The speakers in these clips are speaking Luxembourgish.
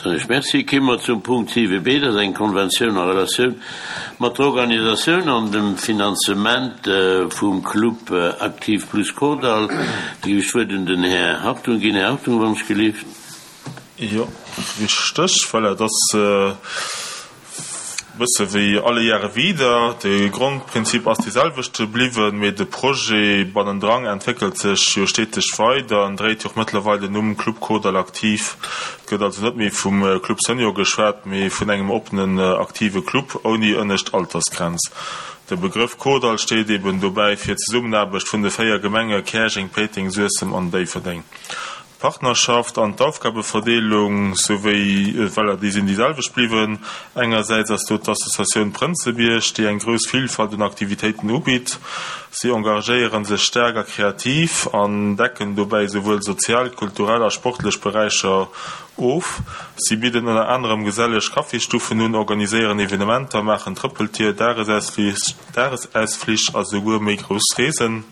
Soen ech Merci. Kéime mer zum Punkt 7b, dat ass eng Konventioun a Relatioun mat der Organisatioun an dem Finanzement vum Club Aktiv Plus Kordall. Da géif ech d'Wuert un den Här Hartung ginn. Här Hartung, wann ech gelift. Jo, richteg. Voilà, et ass E bësse wéi alle Jahre wieder, de Grondprinzip ass dee selwechte bliwwen, mee de Projet bannendrang entwéckelt sech jo steteg weider an dréit jo och mëttlerweil den Numm Club Kordall Aktiv. Et gëtt also net méi vum Club Senior geschwat, mee vun engem oppenen aktive Club ouni ënnescht Altersgrenz. De Begrëff Kordall steet eben dobäi fir d'Zesummenaarbecht vun de 4 Gemenge Käerjeng, Péiteng, Suessem an Déifferdeng. D'Partnerschaft an d'Aufgabeverdeelung souwéi, voilà, déi sinn déi selwecht bliwwen. Engersäits ass do d'Associatioun Prënzebierg, déi eng grouss Vilfalt un Aktivitéiten ubitt. Si engagéiere sech staark a kreativ an decken dobäi souwuel sozial, kulturell a sportlech Beräicher of. Si bidden ënner anerem geselleg Kaffisstuffen un, organiséieren Evenementer, maachen Trëppeltier, Dagesausflich a souguer méi grouss Reesen.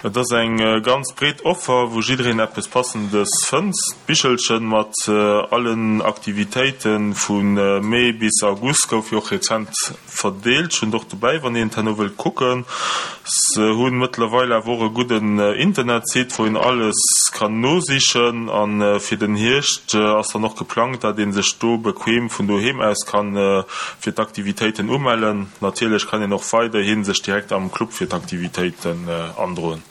Et ass eng ganz breet Offer, wou jiddereen eppes Passendes fënnt. D'Bichelchen mat allen Aktivitéite vu Mee bis August gouf jo och rezent verdeelt. Ech hunn et och dobäi, wann een et herno wëllt kucken. Se hunn mëttlerweil awer och e gudden Internetsite, wou een alles kann nosichen. A fir den Hierscht ass dann och geplangt, dat ee sech do bequem vun doheem aus kann fir d'Aktivitéiten umellen. Natierlech kann een och weiderhi sech direkt am Club fir d'Aktivitéiten androen.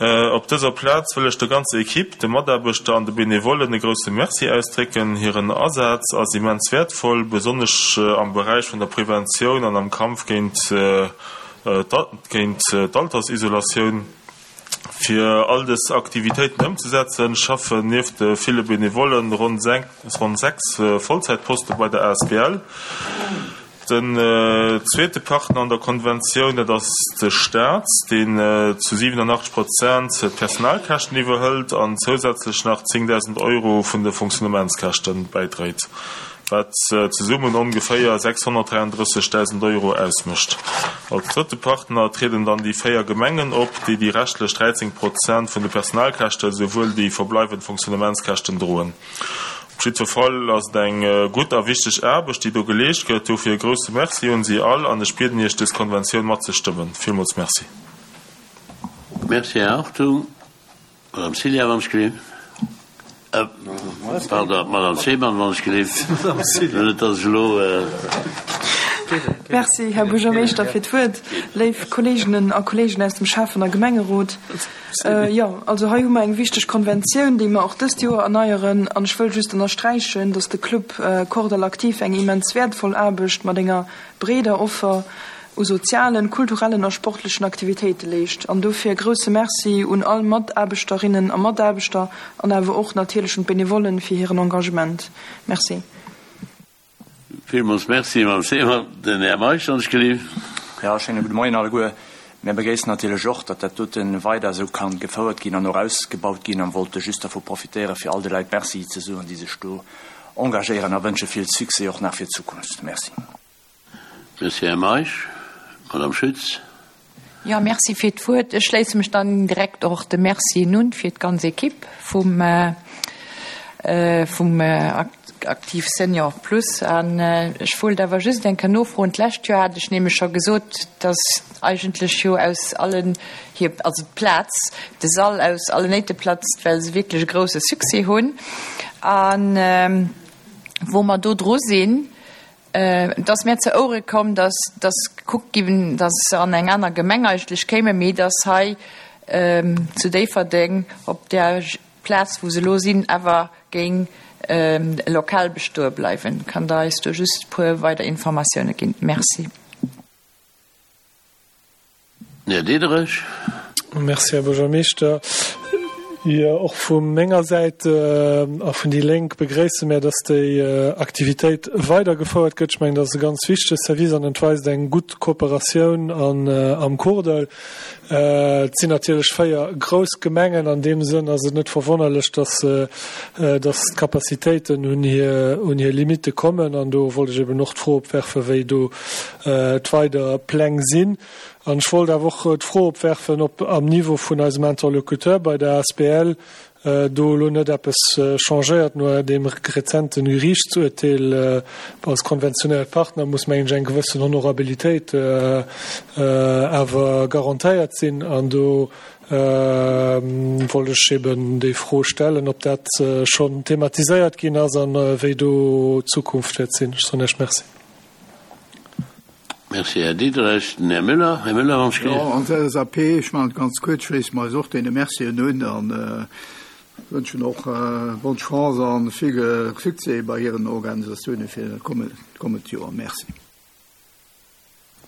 Op dëser Plaz wëll ech der ganzer Equipe, de Mataarbechter an de Benevollen e grousse Merci ausdrécken. Hiren Asaz ass immens wäertvoll, besonnesch am Beräich vun der Preventioun an am Kampf géint d'Altersisolatioun. Fir all dës Aktivitéiten ëmzesetzen, schaffen nieft de ville Benevollen ronn 6 Vollzäitposte bei der asbl. Den zweete Partner an der Konventioun, dat ass de Staat, deen zu 87 Prozent d'Personalkäschten iwwerhëlt an zousätzlech nach 10.000 Euro vun de Fonctionnementskäschte bäidréit. wat zesummen ongeféier 633.000 Euro ausmécht. Als drëtte Partner trieden dann déi 4 Gemengen op, déi déi reschtlech 13 Prozent vun de Personalkäschte souwuel déi verbleiwend Fonctionnementskäschten droen. Op jiddwer Fall ass et eng gutt a wichteg Aarbecht, déi do geleescht gëtt. Dofir e grousse Merci un si all an ech bieden Iech, dës Konventioun matzestëmmen. Villmools Merci. Merci, Här Hartung. Madame Cilla, wann ech gelift. Pardon, Madame Seemann, wann ech gelift. Net dass ech elo. Merci, Här Buergermeeschter, fir d'Wuert. Léif Kolleeginnen a Kolleegen aus dem Schäffen a Gemengerot, jo, also hei hu mer eng wichteg Konventioun, déi mer och dëst Joer erneieren. An ech wëll just ënnersträichen, dass de Club Kordall Aktiv eng immens wäertvoll Aarbecht mat enger breeder Offer u sozialen, kulturellen a sportlechen Aktivitéite leescht. An dofir e grousse Merci un all Mataarbechterinnen a Mataarbechter an awer och natierlech un d'Benevollen fir hiren Engagement. Merci. Villmools Merci, Mme Seemann. Den Här Meisch, wann ech gelift. Jo, schéine gudde Moien alleguer. Mir begréissen natierlech och, datt dat dote weider esou ka gefouert ginn an och ausgebaut ginn a wollte just dervu profitéieren, fir all de Leit Merci ze soen, déi sech do engagéieren a wënsche vill Succès och nach fir d'Zukunft. Merci. Merci, Här Meisch. Madame Schütz. Jo, merci fir d'Wuert. Ech schléisse mech dann direkt och de Mercien un fir d'ganz Equipe vum, vum Aktiv Senior Plus. An ech wollt awer just eng Kéier nofroen, D'lescht Joer hat ech nämlech scho gesot, dass eigentlech jo aus allen hir, also d'Plaz, de Sall aus allen Néite platzt, well se wierklech e grouse Succès hunn. An wou mer do dru sinn, Et ass mär zu Ouere komm, dass dass gekuckt ginn, dass se an eng aner Gemeng eigentlech kéimen, mee dass hei zu Déifferdeng op där Plaz, wou se elo sinn, awer géing e Lokal bestoe bleiwen. Kann Der eis do just e puer weider Informatioune ginn? Merci. Här Diderich. Merci, Här Buergermeeschter. Jo, och vu menger Säit a vun déi Lénk begréisse mär, dass déi Aktivitéit weidergefouert gëtt. Ech mengen, dat ass e ganz wichtege Service an et weist eng gutt Kooperatioun an am Kordall. Et sinn natierlech 4 grouss Gemengen. An deem Sënn ass et net verwonnerlech, dass, dass d'Capacitéiten un hir, un hir Limitte kommen. An do wollt ech eben och d'Fro opwerfen, wéi do d'weider Pläng sinn. An ech wollt awer och d'Fro opwerfen, ob am Niveau vun eisem Interlocuteur bei der asbl. do elo net eppes changéiert no deem rezenten Geriichtsurteel. Als konventionéiert Partner muss, mengen ech, eng gewëssen Honorabilitéit awer garantéiert sinn. An do wollt ech eben déi Fro stellen, ob dat schonn thematiséiert ginn ass a wéi do d'Zukunft wäert sinn. Ech soen Iech Merci. Merci, Här Diderich. Den Här Müller. Här Müller, wann ech Jo, als LSAP, ech maachen et ganz kuerz, schléisse mer eis och deene Mercien un a wënschen och bonne chance a vill Succès bei hiren Organisatioune fir dat kommend Joer. Merci.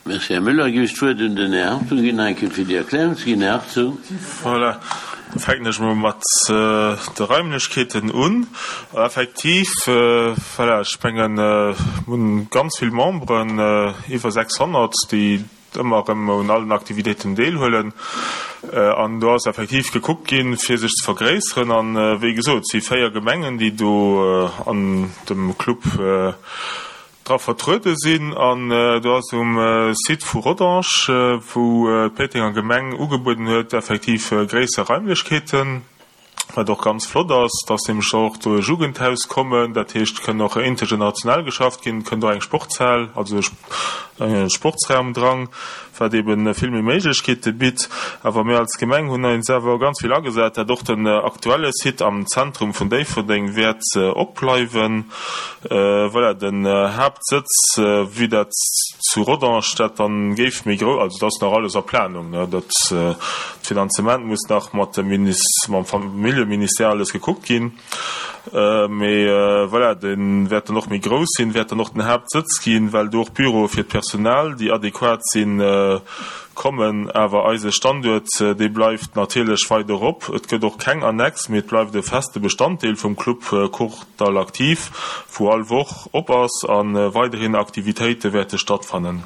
Merci, Här Müller. Ginn ech d'Wuert un den Här Hartung ginn, nach eng Kéier fir déi Erklärung ze ginn. Här Hartung. Voilà, da fänken ech emol mat de Raimlechkeeten un. Effektiv, voilà, ech mengen, mir hunn ganz vill Memberen, iwwer 600, déi ëmmer erëm un allen Aktivitéiten deelhuelen. An do ass effektiv gekuckt ginn, fir sech ze vergréisseren. An, wéi gesot, et si 4 Gemengen, déi do an dem Club dra vertruede sinn. An do ass um Site vu Rodange, wou d'Péitenger Gemeng ugebueden huet, effektiv gréisser Raimlechkeeten. Wat och ganz flott ass, dass nämlech och do e Jugendhaus kommen, dat heescht, et kënn och intergenerationell geschafft ginn, et kënnt och eng Sportshal, also e Sportsraum dran, wat eebe vill méi Méiglechkeete bitt. Awer mir als Gemeng hunn eis awer ganz vill agesat, dat och den aktuelle Site am Zentrum vun Déifferdeng wäert opbleiwen. Voilà, den Haaptsëtz, wéi dat zu Rodange dat dann géif méi grou, also dat ass nach alles a Planung, ne, dat d'Finanzement muss nach mat dem Minis, mam Familljeministère alles gekuckt ginn, mee voilà, dee wäert dann och méi grouss sinn, wäert dann och den Haaptsëtz ginn, well do och Büroe fir d'Personal, déi adequat sinn, kommen. Awer eise Standuert, dee bleift natierlech weider op. Et gëtt och keng Annex, mee et bleift e feste Bestanddeel vum Club Cour. Dall aktiv, wou all Woch op ass a weiderhin Aktivitéite wäerte stattfannen.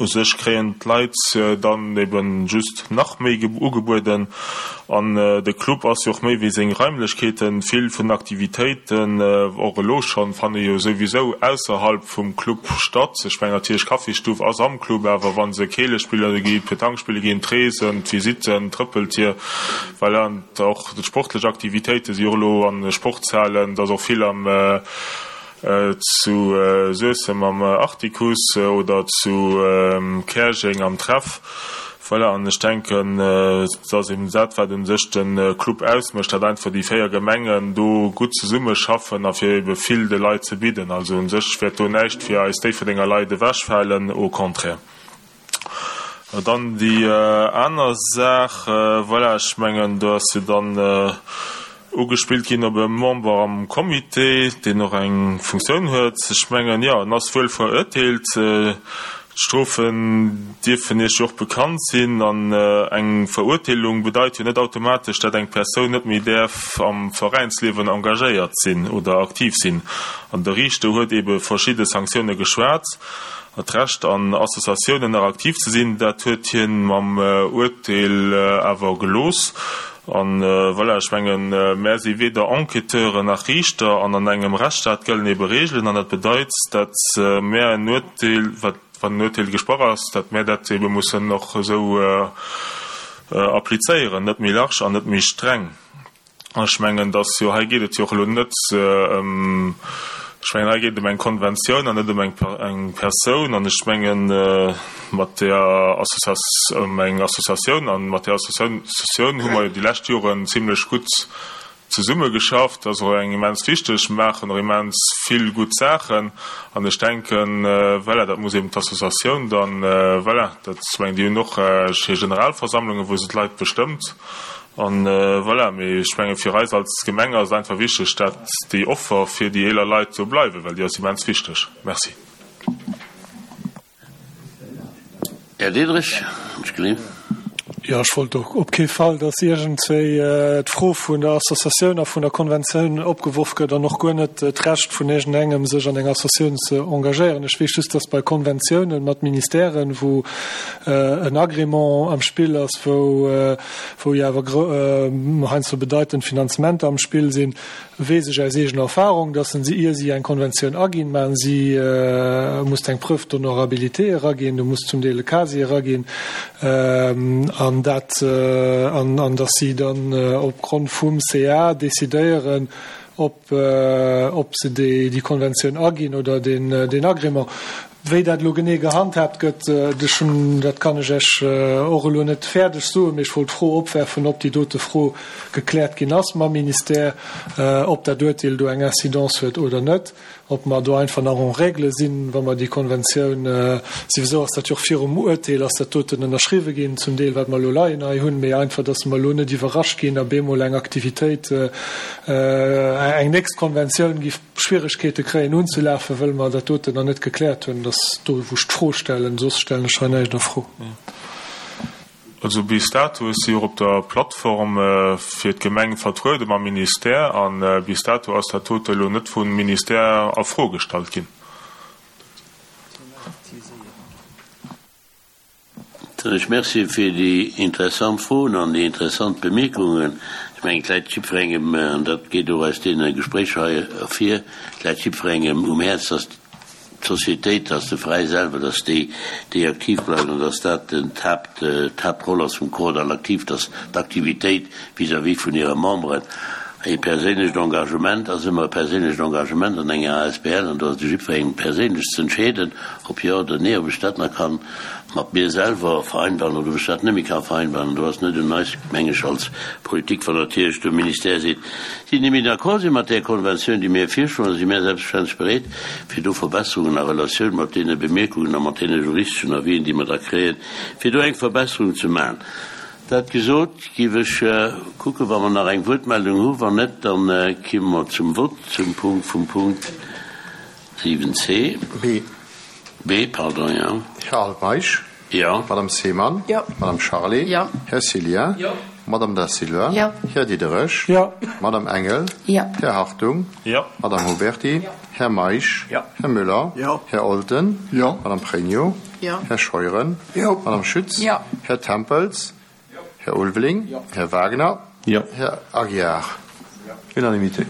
U sech kréien d'Leit dann eben just nach méi ugebueden an de Club ass jo och méi wéi seng Raimlechkeeten. Vill vun den Aktivitéiten, och elo schonn, fanne jo souwisou ausserhalb vum Club statt. Ech mengen natierlech Kaffisstuff ass am Club, awer wa se Keele spille ginn, Petanque spille ginn, d'Reesen, d'Visitten, d'Trëppeltier, voilà. Och d'sportlech Aktivitéite si och elo an de Sportshalen, et ass och vill am zu Suessem am Artikuss oder zu Käerjeng am Treff. Voilà, an ech denken, et ass eben dat, wat u sech de Club ausmécht, datt einfach déi 4 Gemengen do gutt zesummeschaffen a fir ebe vill de Leit ze bidden. Also u sech wäert do näischt fir eis Déifferdenger Leit ewechfalen, au contraire. Dann déi aner Saach, voilà, ech mengen, do ass jo dann ugespillt ginn op e Member am Comité, deen och eng Funktioun huet. Ech mengen, jo, en ass wuel verurteelt. D'Strofen dierfen Iech jo och bekannt sinn. An eng Verurteelung bedeit jo net automatesch, dat eng Persoun net méi däerf am Veräinsliewen engagéiert sinn oder aktiv sinn. An de Riichter huet eebe verschidde Sanktioune geschwat. D'Recht an Associatiounen nach aktiv ze sinn, dat huet hien mam Uerteel awer gelooss. An voilà, ech mengen, mär si weder Enquêteuren nach Riichter an an engem Rechtsstaat gëllen ebe Reegelen an dat bedeit, dat mär en Uerteel, wat wann en Uerteel gesprach ass, dat mär dat ebe mussen och esou applizéieren, net méi large an net méi streng. Ech mengen, dass jo, hei geet et jo och elo net ëm, ech mengen, hei geet et ëm eng Konventioun an net ëm eng, eng Persoun. An ech mengen, mat där Associas, ëm eng Associatioun. An mat där Associatioun hu mer jo déi lescht Joren zimlech gutt zesummegeschafft. Dat ass och eng immens wichteg, maachen och immens vill gutt Saachen. An ech denken, voilà, dat muss eben d'Associatioun dann, voilà, dat, ech mengen, déi hunn och hir Generalversammlungen, wou se d'Leit bestëmmt. An voilà, mee ech menge fir eis als Gemeng ass et einfach wichteg, dat déi Offer fir déi eeler Leit do bleiwen, well déi ass immens wichteg. Merci. Här Diderich, ech gleewen. Jo, ech wollt och op kee Fall, dass iergendwéi d'Fro vun der Associatioun a vun der Konventioun opgeworf gëtt an och guer net d'Recht vun iergendengem, sech an enger Associatioun ze engagéieren. Ech weess just, dass bei Konventiounen mat Ministèren, wou en Agrément am Spill ass, wou wou jo awer heiansdo bedeitend Finanzementer am Spill sinn, weess ech aus eegener Erfahrung, dass se, ier si eng Konventioun aginn, maachen si, muss eng Preuve d'honorabilité eraginn, du muss zum Deel e Casier eraginn. An. An dat, an dass si dann opgrond vum CA decidéieren, ob, ob se déi, déi Konventioun aginn oder deen, deen Agrément. Wéi dat elo genee gehandhaabt gëtt, ech hunn, dat kann ech Iech och elo net fäerdeg soen, mee ech wollt d'Fro opwerfen, ob déi dote Fro gekläert ginn ass mam Ministère, ob dat Uerteel do eng Incidence huet oder net, ob mer do einfach nach en règle sinn, wa mer déi Konventioun, souwisou ass dat jo och virum Uerteel ass dat doten ënnerschriwwe ginn, zum Deel, wat mer elo leien hei hunn, mee einfach, dass mer elo net iwwerrascht ginn a bemol eng Aktivitéit, eng nächst Konventioun giff Schwieregkeete kréien unzelafen, wëll mer dat doten nach net gekläert hunn. Dat ass do, wou ech d'Fro stellen. Soss stellen ech hei näischt a Fro. Also bis dato, ech si jo och op der Plattform fir d'Gemeng vertruede mam Ministère, a bis dato ass dat dote elo net vum Ministère a Fro gestallt ginn. Soen ech Merci fir déi interessant Froen an déi interessant Bemierkungen. Ech mengen, et läit jiddwerengem, an dat geet och aus deene Gespréicher hei ervir, et läit jiddwerengem um Häerz, dass d'Societéit, dass de Veräi selwer, dass déi, déi aktiv bleiwen an dass dat d'Haapt, d'Haaptroll ass vum Chordal aktiv, dass d'Aktivitéit vis-à-vis vun hire Memberen. E perséinlecht Engagement ass ëmmer e perséinlecht Engagement an enger asbl an do ass et u jiddwerengem perséinlech ze entscheeden, ob jo oder nee, ob ech dat nach kann mat mir selwer vereinbaren oder ob ech dat net méi ka vereinbaren. An do ass net un eis, meng ech, als Politik, wann natierlech de Ministère seet, si net méi d'accord si mat där Konventioun, déi mir virschloen, da si mär selbstverständlech bereet, fir do Verbesserungen a Relatioun mat deene Bemierkungen a mat deene juristeschen Avisen, déi mer da kréien, fir do eng Verbesserung ze maachen. Dat gesot, géif ech kucken, wa mer nach eng Wuertmeldung hu. Wann net, da kimme mer zum Vott zum Punkt vum Punkt 7 c. B. B, pardon, jo. Här Altmeisch. Jo. Madame Seemann. Jo. Madame Charlé. Jo. Här Cillien. Jo. Madame Da Silva. Jo. Här Diderich. Jo. Madame Engel. Jo. Här Hartung. Jo. Madame Huberty. Jo. Här Meisch. Jo. Här Müller. Jo. Här Olten. Jo. Madame Pregno. Jo. Här Scheuren. Jo. Madame Schütz. Jo. Här Tempels. Här Ulveling. Jo. Här Wagner. Jo. Här Aguiar. Unanimitéit.